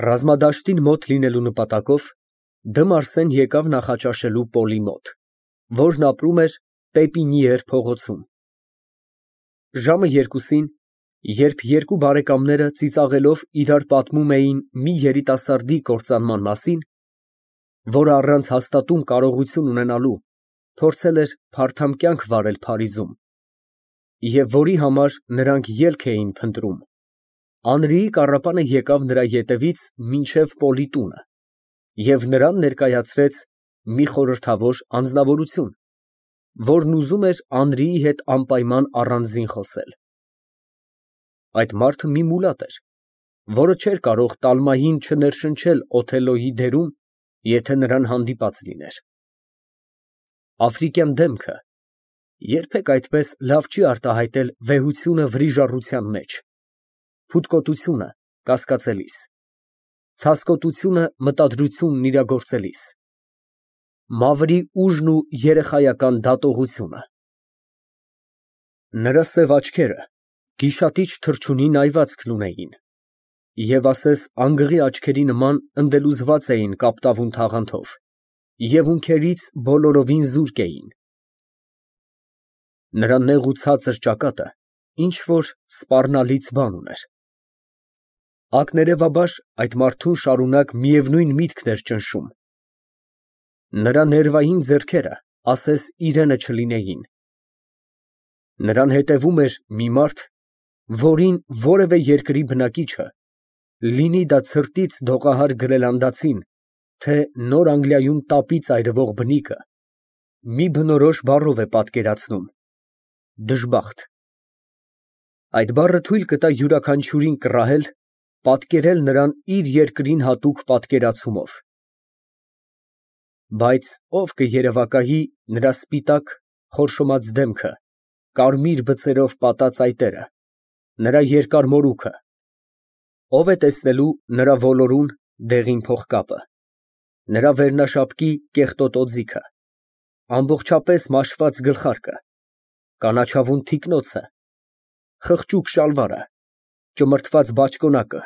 Ռազմադաշտին մոտ լինելու նպատակով Դ'Մարսեն եկավ նախաճաշելու Պոլի մոտ, որն ապրում էր Պեպինիեր փողոցում։ Ժամը 2-ին, երբ երկու բարեկամները ծիծաղելով իրար պատմում էին մի երիտասարդի կործանման մասին, որը առանց հաստատուն կարողություն ունենալու փորձել էր փարթամ կյանք վարել Փարիզում, և որի համար նրանք ելք էին փնտրում, Անրիի կառապանը եկավ նրա ետևից մինչև Պոլի տունը և նրան ներկայացրեց մի խորհրդավոր անձնավորություն, որն ուզում էր Անրիի հետ անպայման առանձին խոսել։ Այդ մարդը մի մուլատ էր, որը չէր կարող տալմային չներշնչել Օթելլոյի դերում, եթե նրան հանդիպած լիներ։ Աֆրիկյան դեմքը երբեք այդպես լավ չի արտահայտել վեհությունը վրիժառության մեջ, փութկոտությունը կասկածելիս, ցասկոտությունը մտադրությունն իրագործելիս, մավրի ուժն ու երեխայական դատողությունը։ Նրա սև աչքերը գիշատիչ թռչունի նայվածքն ունեին և ասես անգղի աչքերի նման ընկելուզված էին կապտավուն թաղանթով և ունքերից բոլորովին զուրկ էին։ Նրա նեղ ու ցածր ճակատը ինչ֊որ սպառնալից բան ուներ։ Ակներևաբար այդ մարդուն շարունակ միևնույն միտքն էր ճնշում։ Նրա ներվային ձեռքերը ասես իրենը չլինեին։ Նրան հետևում էր մի մարդ, որին որևէ երկրի բնակիչը, լինի դա ցրտից դողահար գրելանդացին, թե Նոր Անգլիայում տապից այրվող բնիկը, մի բնորոշ բառով է պատկերացնում. դժբախտ։ Այդ բառը թույլ կտա յուրաքանչյուրին կռահել, պատկերել նրան իր երկրին հատուկ պատկերացումով։ Բայց ով կերևակայի նրա սպիտակ խորշոմած դեմքը, կարմիր բծերով պատած այտերը, նրա երկար մորուքը, ով է տեսնելու նրա ոլորուն, դեղին փողկապը, նրա վերնաշապկի կեղտոտ օձիքը, ամբողջապես մաշված գլխարկը, կանաչավուն թիկնոցը, խղճուկ շալվարը, ճմրթված բաճկոնակը,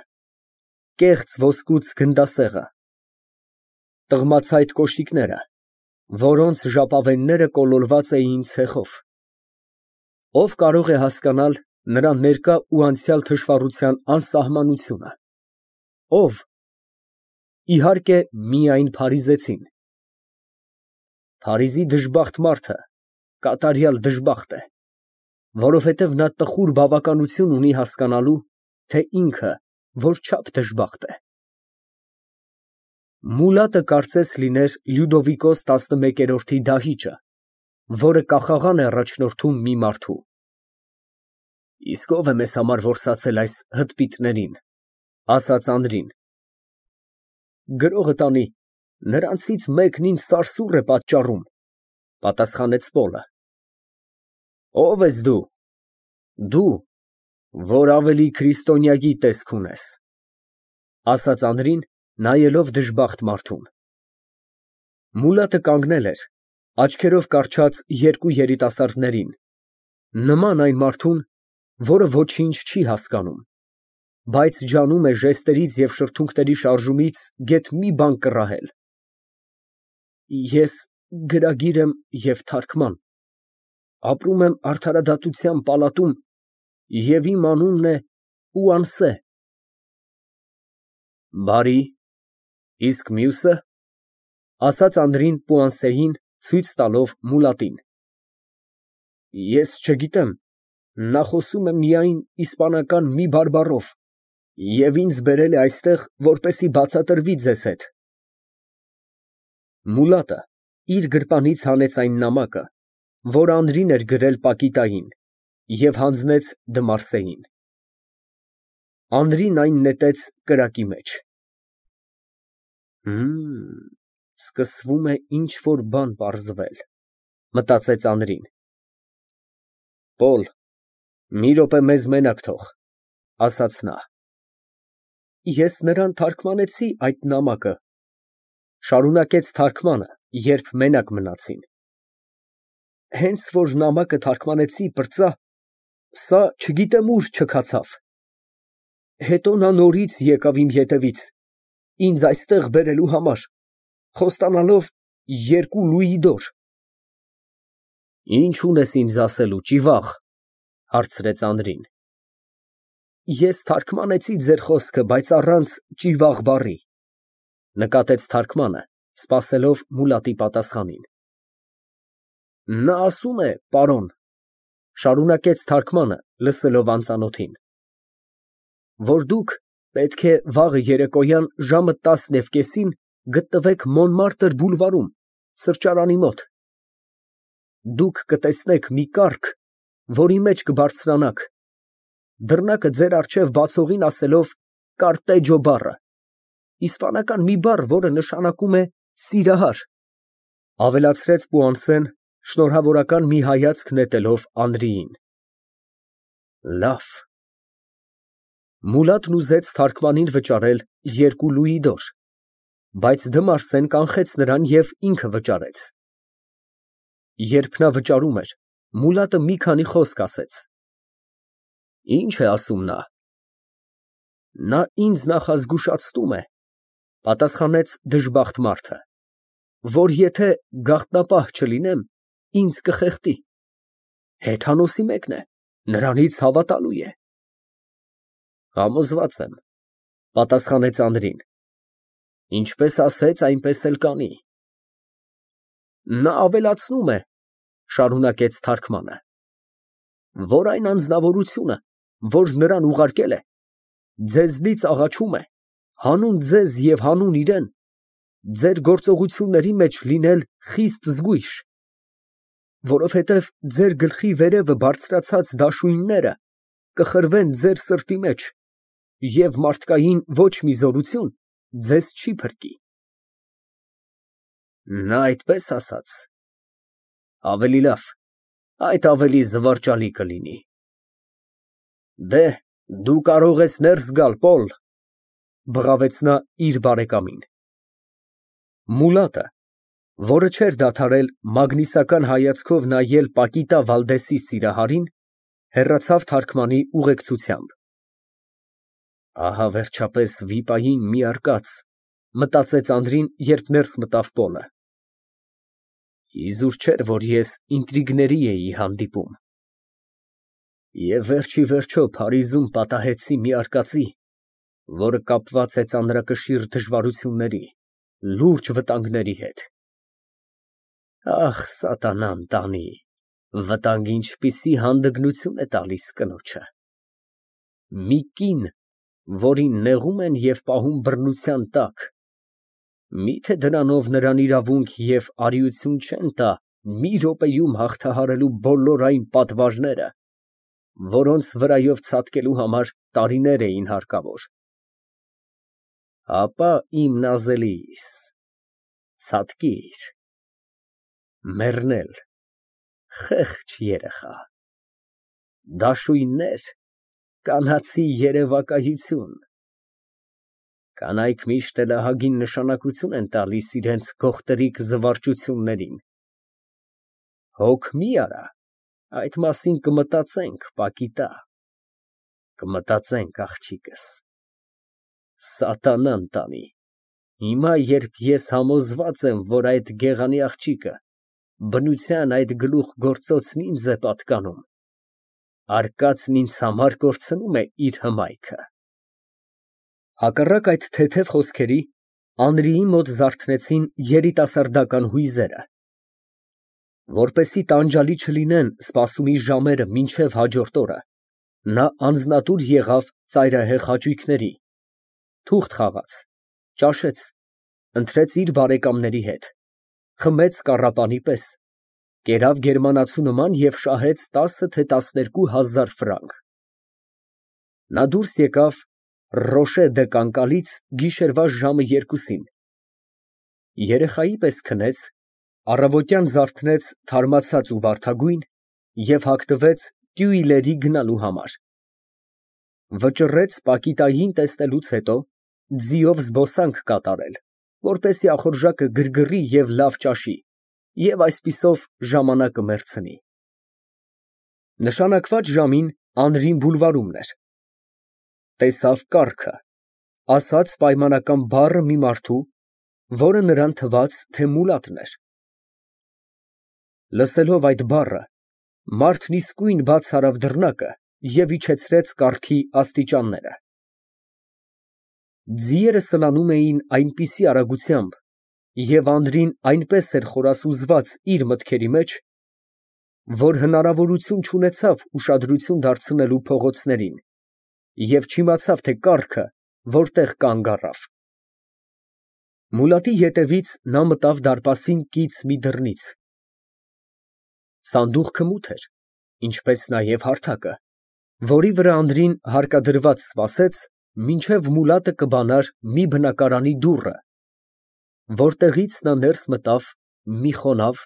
կեղծ ոսկուց գնդասեղը, տղմացայտ կոշիկները, որոնց ժապավենները կոլորված էին ցեխով, ով կարող է հասկանալ նրա ներկա ու անցյալ թշվառության անսահմանությունը, ով, իհարկե, միայն փարիզեցին։ Փարիզի դժբախտ մարդը կատարյալ դժբախտ է, որովհետև նա տխուր բավականություն ունի հասկանալու, թե ինքը որչափ դժբախտ է։ Մուլատը կարծես լիներ Լյուդովիկոս 11-րդի դահիճը, որը կախաղան է առաջնորդում մի մարդու։ Իսկ ո՞վ է մեզ համար որսացել այս հդպիտներին, ասաց Անրին։ Գրողը տանի, նրանցից մեկն ինձ սարսուռ է պատճառում, պատասխանեց Պոլը։ Ո՞վ ես դու։ Դու, որ ավելի քրիստոնյայի տեսք ունես, ասաց Անրին, նայելով դժբախտ մարդուն։ Մուլատը կանգնել էր, աչքերով կառչած երկու երիտասարդներին, նման այն մարդուն, որը ոչինչ չի հասկանում, բայց ջանում է ժեստերից և շրթունքների շարժումից գեթ մի բան կռահել։ Ես գրագիր եմ և թարգման, ապրում եմ արդարադատության պալատում և իմ անունն է Պուանսե։ Բարի, իսկ մյուսը, ասաց Անրին Պուանսեին, ցույց տալով մուլատին։ Ես չգիտեմ, նա խոսում է միայն իսպանական մի բարբառով և ինձ բերել է այստեղ, որպեսզի բացատրվի ձեզ հետ։ Մուլատը իր գրպանից հանեց այն նամակը, որ Անրին էր գրել պակիտային, և հանձնեց Դ'Մարսեին։ Անրին այն նետեց կրակի մեջ։ Սկսվում է ինչ֊որ բան պարզվել, մտածեց Անրին։ Պոլ, մի րոպե մեզ մենակ թող, ասաց նա։ Ես նրան թարգմանեցի այդ նամակը, շարունակեց թարգմանը, երբ մենակ մնացին։ Հենց որ նամակը թարգմանեցի, պրծա, սա չգիտեմ ուր չքացավ։ Հետո նա նորից եկավ իմ ետևից ինձ այստեղ բերելու համար, խոստանալով 2 լուի դոր։ Ինչ ունես ինձ ասելու, ճիվաղ, հարցրեց Անդրին։ Ես թարգմանեցի ձեր խոսքը, բայց առանց ճիվաղ բառի, նկատեց թարգմանը, սպասելով Մուլատի պատասխանին։ Նա ասում է, պարոն, շարունակեց թարգմանը, լսելով անծանոթին, որ դուք պետք է վաղը երեկոյան ժամը 10:30-ին գտնվեք Մոնմարտր բուլվարում, սրճարանի մոտ։ Դուք կտեսնեք մի կառք, որի մեջ կբարձրանաք, դռնակը ձեր առջև բացողին ասելով կարտեջո բառը, իսպանական մի բառ, որը նշանակում է սիրահար, ավելացրեց Պուանսեն, շնորհավորական մի հայացք նետելով Անդրեին։ Լավ։ Մուլատն ուզեց թարգմանին վճարել 2 լուի դոր, բայց Դմարսեն կանխեց նրան և ինքը վճարեց։ Երբ նա վճարում էր, Մուլատը մի քանի խոսք ասեց։ Ինչ է ասում նա։ Նա ինձ նախազգուշացնում է, պատասխանեց դժբախտ մարդը, որ եթե գաղտնապահ չլինեմ, ինձ կխեղդի։ Հեթանոսի մեկն է, նրանից հավատալու է։ Համոզված եմ, պատասխանեց Անդրին։ Ինչպես ասեց, այնպես էլ կանի։ Նա ավելացնում է, շարունակեց թարգմանը, որ այն անձնավորությունը, որ նրան ուղարկել է, ձեզնից աղաչում է, հանուն ձեզ և հանուն իրեն, ձեր գործողությունների մեջ լինել խիստ զգույշ, որովհետև ձեր գլխի վերևը բարձրացած դաշույնները կխրվեն ձեր սրտի մեջ, և մարդկային ոչ մի զորություն ձեզ չի փրկի։ Նա այդպես ասաց։ Ավելի լավ, այդ ավելի զվարճալի կլինի։ Դե, դու կարող ես ներս գալ, Պոլ, բղավեց նա իր բարեկամին։ Մուլատը, որը չէր դադարել մագնիսական հայացքով նայել Պակիտա Վալդեսի սիրահարին, հեռացավ թարգմանի ուղեկցությամբ։ Ահա վերջապես վիպային մի արկած, մտածեց Անդրին, երբ ներս մտավ Պոլը։ Իզուր չէր, որ ես ինտրիգների էի հանդիպում։ Եվ վերջի վերջո Փարիզում պատահեցի մի արկածի, որը կապված է ծանրակշիռ դժվարությունների, լուրջ վտանգների հետ։ Ախ, սատանան տանի, վտանգը ինչպիսի հանդգնություն է տալիս կնոջը։ Մի կին, որին նեղում են և պահում բռնության տակ, միթե դրանով նրան իրավունք և արիություն չեն տա մի րոպեում հաղթահարելու բոլոր այն պատվարները, որոնց վրայով ցատկելու համար տարիներ էին հարկավոր։ Ապա իմ նազելիս, ցատկիր, մեռնել, խեղճ երեխա, դաշույններ, կանացի երևակայություն։ Կանայք միշտ էլ ահագին նշանակություն են տալիս իրենց գողտրիկ զվարճություններին։ Հոգ մի արա, այդ մասին կմտածենք, Պակիտա, կմտածենք, աղջիկս։ Սատանան տանի, հիմա երբ ես համոզված եմ, որ այդ գեղանի աղջիկը բնության այդ գլուխգործոցն ինձ է պատկանում, արկածն ինձ համար կորցնում է իր հմայքը։ Հակառակ այդ թեթև խոսքերի, Անդրեի մոտ զարթնեցին երիտասարդական հույզերը։ Որպեսզի տանջալի չլինեն սպասումի ժամերը մինչև հաջորդ օրը, նա անձնատուր եղավ ծայրահեղ հաճույքների, թուղթ խաղաց, ճաշեց, ընթրեց իր բարեկամների հետ, խմեց կառապանի պես, կերավ գերմանացու նման և շահեց 10 թե 12 հազար ֆրանկ։ Նա դուրս եկավ Ռոշե դե Կանկալից գիշերվա ժամը 2-ին, երեխայի պես քնեց, առավոտյան զարթնեց թարմացած ու վարդագույն և հագնվեց Տյուիլերի գնալու համար։ Վճռեց Պակիտային տեսնելուց հետո ձիով զբոսանք կատարել, որպեսզի ախորժակը գրգռի և լավ ճաշի, և այսպիսով ժամանակը մերձնի։ Նշանակված ժամին Անրին բուլվարումն էր։ Տեսավ կառքը, ասաց պայմանական բառը մի մարդու, որը նրան թվաց, թե մուլատն էր։ Լսելով այդ բառը, մարդն իսկույն բաց արավ դռնակը և իջեցրեց կառքի աստիճանները։ Ձիերը սլանում էին այնպիսի արագությամբ, և Անդրին այնպես էր խորասուզված իր մտքերի մեջ, որ հնարավորություն չունեցավ ուշադրություն դարձնելու փողոցներին և չիմացավ, թե կառքը որտեղ կանգ առավ։ Մուլատի ետևից նա մտավ դարպասին կից մի դռնից։ Սանդուղքը մութ էր, ինչպես նաև հարթակը, որի վրա Անդրին հարկադրված սպասեց, մինչև մուլատը կբանար մի բնակարանի դուռը, որտեղից նա ներս մտավ մի խոնավ,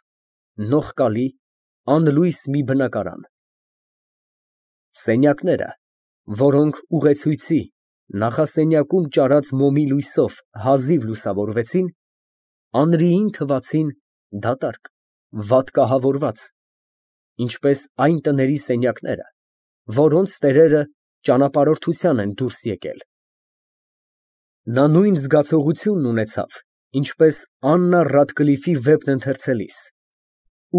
նողկալի, անլույս մի բնակարան։ Սենյակները, որոնք ուղեցույցի, նախասենյակում ճարած մոմի լույսով հազիվ լուսավորվեցին, Անրիին թվացին դատարկ, վատ կահավորված, ինչպես այն տների սենյակները, որոնց տերերը ճանապարհորդության են դուրս եկել։ Նա նույն զգացողությունն ունեցավ, ինչպես Աննա Ռադկլիֆի վեպն ընթերցելիս,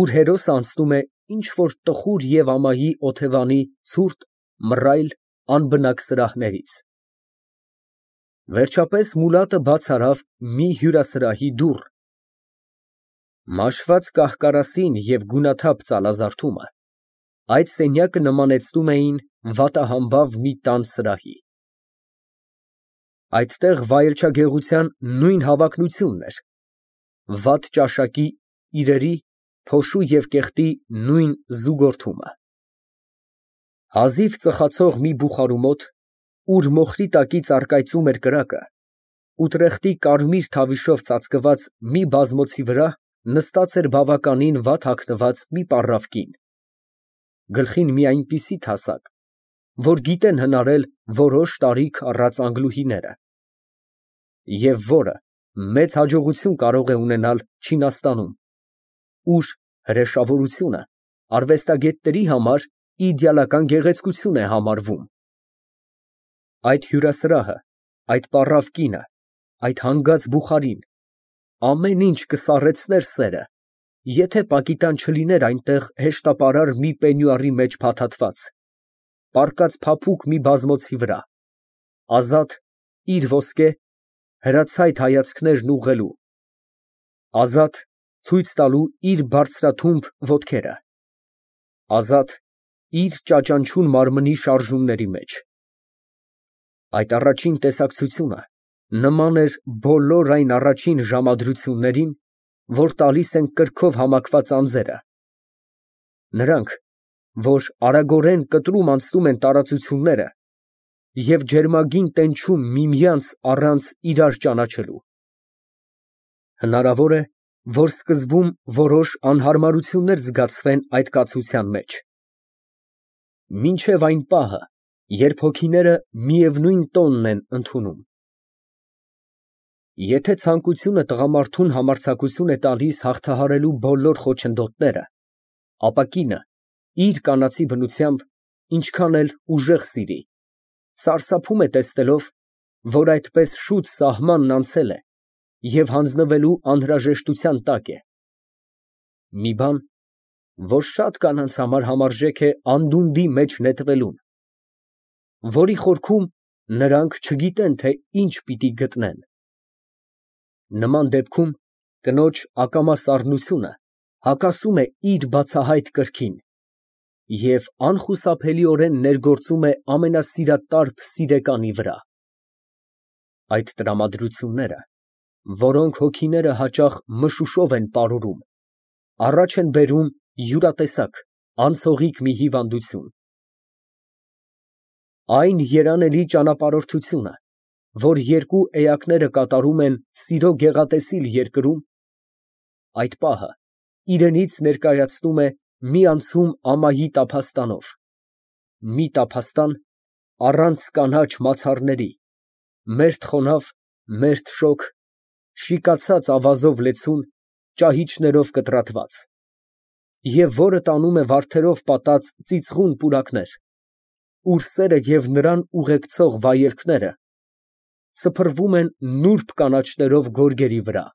ուր հերոսը անցնում է ինչ֊որ տխուր և ամայի օթևանի ցուրտ, մռայլ, անբնակ սրահներից։ Վերջապես մուլատը բաց արավ մի հյուրասրահի դուռ։ Մաշված կահ֊կարասին և գունաթափ ծալազարդումը այդ սենյակը նմանեցնում էին վատահամբավ մի տան սրահի։ Այդտեղ վայելչագեղության նույն հավակնությունն էր, վատ ճաշակի, իրերի, փոշու և կեղտի նույն զուգորդումը։ Հազիվ ծխացող մի բուխարու մոտ, ուր մոխրի տակից առկայծում էր կրակը, ուտրեխտի կարմիր թավիշով ծածկված մի բազմոցի վրա նստած էր բավականին վատ հագնված մի պառավ կին, գլխին մի այնպիսի թասակ, որ գիտեն հնարել որոշ տարիք առած անգլուհիները, և որը մեծ հաջողություն կարող է ունենալ Չինաստանում, ուր հրեշավորությունը արվեստագետների համար իդեալական գեղեցկություն է համարվում։ Այդ հյուրասրահը, այդ պառավ կինը, այդ հանգած բուխարին, ամեն ինչ կսառեցներ սերը, եթե պակիտան չլիներ այնտեղ հեշտապարար մի պենյուարի մեջ փաթաթված, պառկած փափուկ մի բազմոցի վրա, ազատ իր ոսկե հրացայտ հայացքներն ուղղելու, ազատ ցույց տալու իր բարձրաթումբ ոտքերը, ազատ իր ճաճանչուն մարմնի շարժումների մեջ։ Այդ առաջին տեսակցությունը նման էր բոլոր այն առաջին ժամադրություններին, որ տալիս են կրքով համակված անձերը, նրանք, որ արագորեն կտրում անցնում են տարածությունները և ջերմագին տենչում միմյանց առանց իրար ճանաչելու։ Հնարավոր է, որ սկզբում որոշ անհարմարություններ զգացվեն այդ կացության մեջ, մինչև այն պահը, երբ հոգիները միևնույն տոնն են ընդունում։ Եթե ցանկությունը տղամարդուն համարձակություն է տալիս հաղթահարելու բոլոր խոչընդոտները, ապա կինը, իր կանացի բնությամբ, ինչքան էլ ուժեղ սիրի, սարսափում է տեսնելով, որ այդպես շուտ սահմանն անցել է և հանձնվելու անհրաժեշտության տակ է։ Մի բան, որ շատ կանանց համար համարժեք է անդունդի մեջ նետվելուն, որի խորքում նրանք չգիտեն, թե ինչ պիտի գտնեն։ Նման դեպքում կնոջ ակամա սառնությունը հակասում է իր բացահայտ կրքին և անխուսափելիորեն ներգործում է ամենասիրատարբ սիրեկանի վրա։ Այդ տրամադրությունները, որոնք հոգիները հաճախ մշուշով են պարուրում, առաջ են բերում յուրատեսակ, անցողիկ մի հիվանդություն։ Այն երանելի ճանապարհորդությունը, որ երկու էակները կատարում են սիրո գեղատեսիլ երկրում, այդ պահը իրենից ներկայացնում է մի անցում ամայի տափաստանով, մի տափաստան առանց կանաչ մացառների, մերթ խոնավ, մերթ շոգ, շիկացած ավազով լեցուն, ճահիճներով կտրատված, և որը տանում է վարդերով պատած ծիծղուն պուրակներ, ուր սերը և նրան ուղեկցող վայելքները սփռվում են նուրբ կանաչներով գորգերի վրա։